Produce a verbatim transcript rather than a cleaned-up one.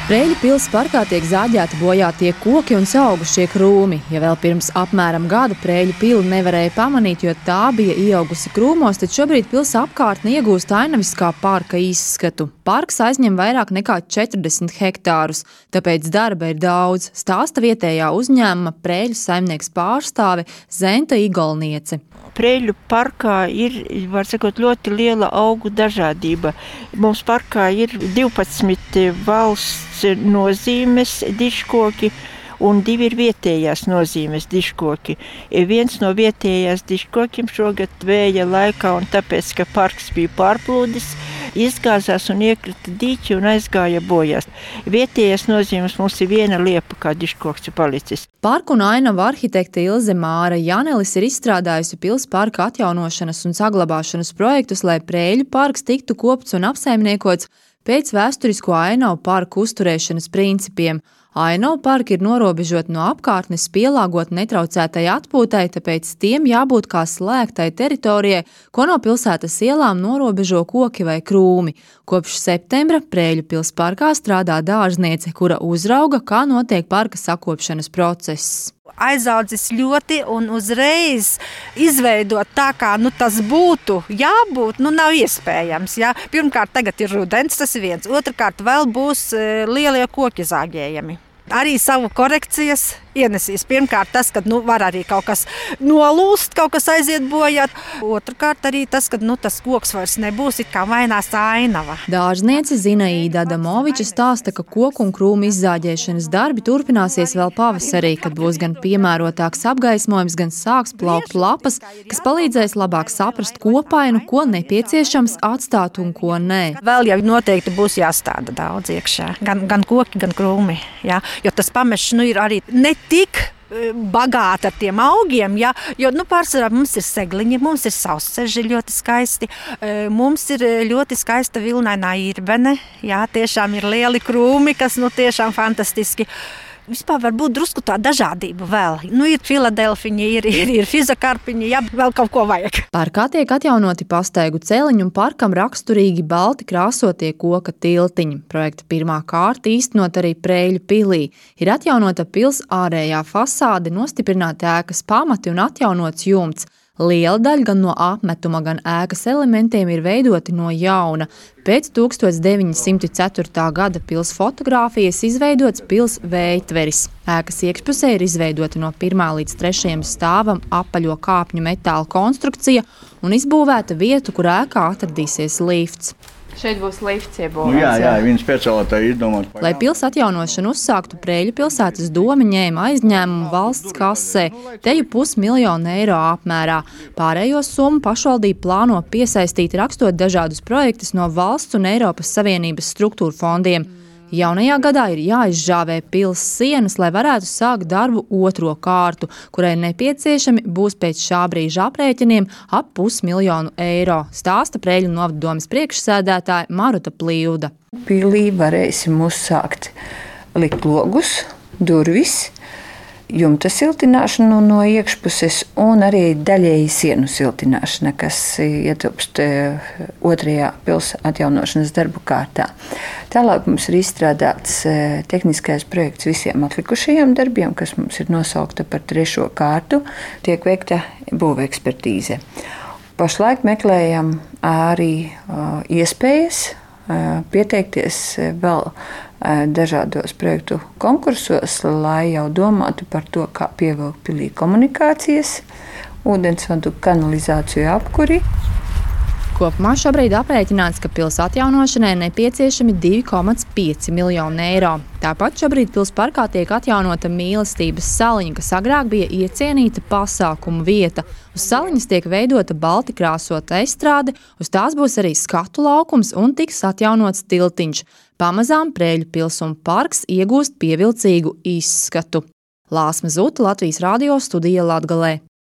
Preļu pils parkā tiek zāģēti bojātie koki un saaugušie krūmi. Ja vēl pirms apmēram gada Preļu pili nevarēja pamanīt, jo tā bija ieaugusi krūmos, tad šobrīd pils apkārtne iegūst ainaviskā parka izskatu. Parks aizņem vairāk nekā četrdesmit hektārus, tāpēc darba ir daudz, stāsta vietējā uzņēmuma Preļu saimnieks pārstāve Zenta Igolniece. Preļu parkā ir, var sakot, ļoti liela augu dažādība. Mums parkā ir divpadsmit valsts nozīmes dižkoki un divi ir vietējās nozīmes dižkoki. Viens no vietējās dižkokiem šogad vēja laikā un tāpēc, ka parks bija pārplūdis, izgāzās un iekrita dīķi un aizgāja bojās. Vietējās nozīmes mums ir viena liepa, kā dižkoks ir palicis. Parku un ainavu arhitekte Ilze Māra Janelis ir izstrādājusi pils parka atjaunošanas un saglabāšanas projektus, lai Preļu parks tiktu kopts un apsaimniekots pēc vēsturisko ainavu parku uzturēšanas principiem. Ainavu parki ir norobežoti no apkārtnes, pielāgot netraucētai atpūtai, tāpēc tiem jābūt kā slēgtai teritorijai, ko no pilsētas ielām norobežo koki vai krūmi. Kopš septembra Preļu pils parkā strādā dārzniece, kura uzrauga, kā notiek parka sakopšanas process. Aizaudzis ļoti un uzreiz izveidot tā, kā nu, tas būtu jābūt, nu nav iespējams. Ja? Pirmkārt, tagad ir rudens, tas ir viens. Otrkārt, vēl būs lielie koki zāģējami. Arī savu korekcijas ienesīs. Pirmkārt tas, ka nu, var arī kaut kas nolūst, kaut kas aiziet bojāt. Otrkārt arī tas, ka nu, tas koks vairs nebūs, it kā mainās ainava. Dārzniece Zinaīda Adamoviča stāsta, ka koku un krūmu izzāģēšanas darbi turpināsies vēl pavasarī, kad būs gan piemērotāks apgaismojums, gan sāks plaukt lapas, kas palīdzēs labāk saprast kopainu, ko nepieciešams atstāt un ko nē. Vēl jau noteikti būs jāstāda daudz iekšā. Gan, gan koki, gan krūmi. Ja? Jo tas pamešs nu, ir arī ne tik bagāti ar tiem augiem, ja? Jo nu, pārsvarā mums ir segliņi, mums ir sausceži ļoti skaisti, mums ir ļoti skaista vilnainā irbene, ja? Tiešām ir lieli krūmi, kas nu, tiešām fantastiski. Vispār var būt drusku tā dažādība vēl. Nu, ir filadelfiņi, ir, ir, ir fizakarpiņi, ja vēl kaut ko vajag. Parkā tiek atjaunoti pastaigu celiņi un parkam raksturīgi balti krāsotie koka tiltiņi. Projekta pirmā kārta īstenot arī Preļu pilī. Ir atjaunota pils ārējā fasāde, nostiprināti ēkas pamati un atjaunots jumts. Liela daļa gan no apmetuma, gan ēkas elementiem ir veidoti no jauna. Pēc tūkstoš deviņi simti ceturtā gada pils fotogrāfijas izveidots pils vējtveris. Ēkas iekšpusē ir izveidota no pirmā līdz trešajam stāvam apaļo kāpņu metāla konstrukcija un izbūvēta vieta, kur ēkā atradīsies lifts. Šeit būs lifts iebūvēts. Nu, jā, jā, viņi speciāli tā izdomāt. Lai pils atjaunošanu uzsāktu, Preļu pilsētas doma ņēma aizņēmumu valsts kasē, teju pusmiljonu eiro apmērā. Pārējo summu pašvaldība plāno piesaistīt rakstot dažādus projektus no valsts un Eiropas Savienības struktūra fondiem. Jaunajā gadā ir jāizžāvē pils sienas, lai varētu sākt darbu otro kārtu, kurai nepieciešami būs pēc šā brīža aprēķiniem ap pusmiljonu eiro, stāsta Preļu novaddomes priekšsēdētāja Maruta Plīvda. Pilī varēsim uzsākt likt logus, durvis, jumta siltināšanu no iekšpuses un arī daļēji sienu siltināšana, kas ietilpst otrajā pils atjaunošanas darbu kārtā. Tālāk mums ir izstrādāts tehniskais projekts visiem atlikušajiem darbiem, kas mums ir nosaukta par trešo kārtu, tiek veikta būvekspertīze. Pašlaik meklējam arī iespējas pieteikties vēl dažādos projektu konkursos, lai jau domātu par to, kā pievilkt pilī komunikācijas, ūdensvadu, kanalizāciju, apkuri. Kopumā šobrīd aprēķināts, ka pils atjaunošanai nepieciešami divi komats pieci miljoni eiro. Tāpat šobrīd pils parkā tiek atjaunota mīlestības saliņa, kas agrāk bija iecienīta pasākumu vieta. Uz saliņas tiek veidota balti krāsota estrāde, uz tās būs arī skatu laukums un tiks atjaunots tiltiņš. Pamazām Preļu pils un parks iegūst pievilcīgu izskatu. Lāsma Zuta, Latvijas radio studija Latgalē.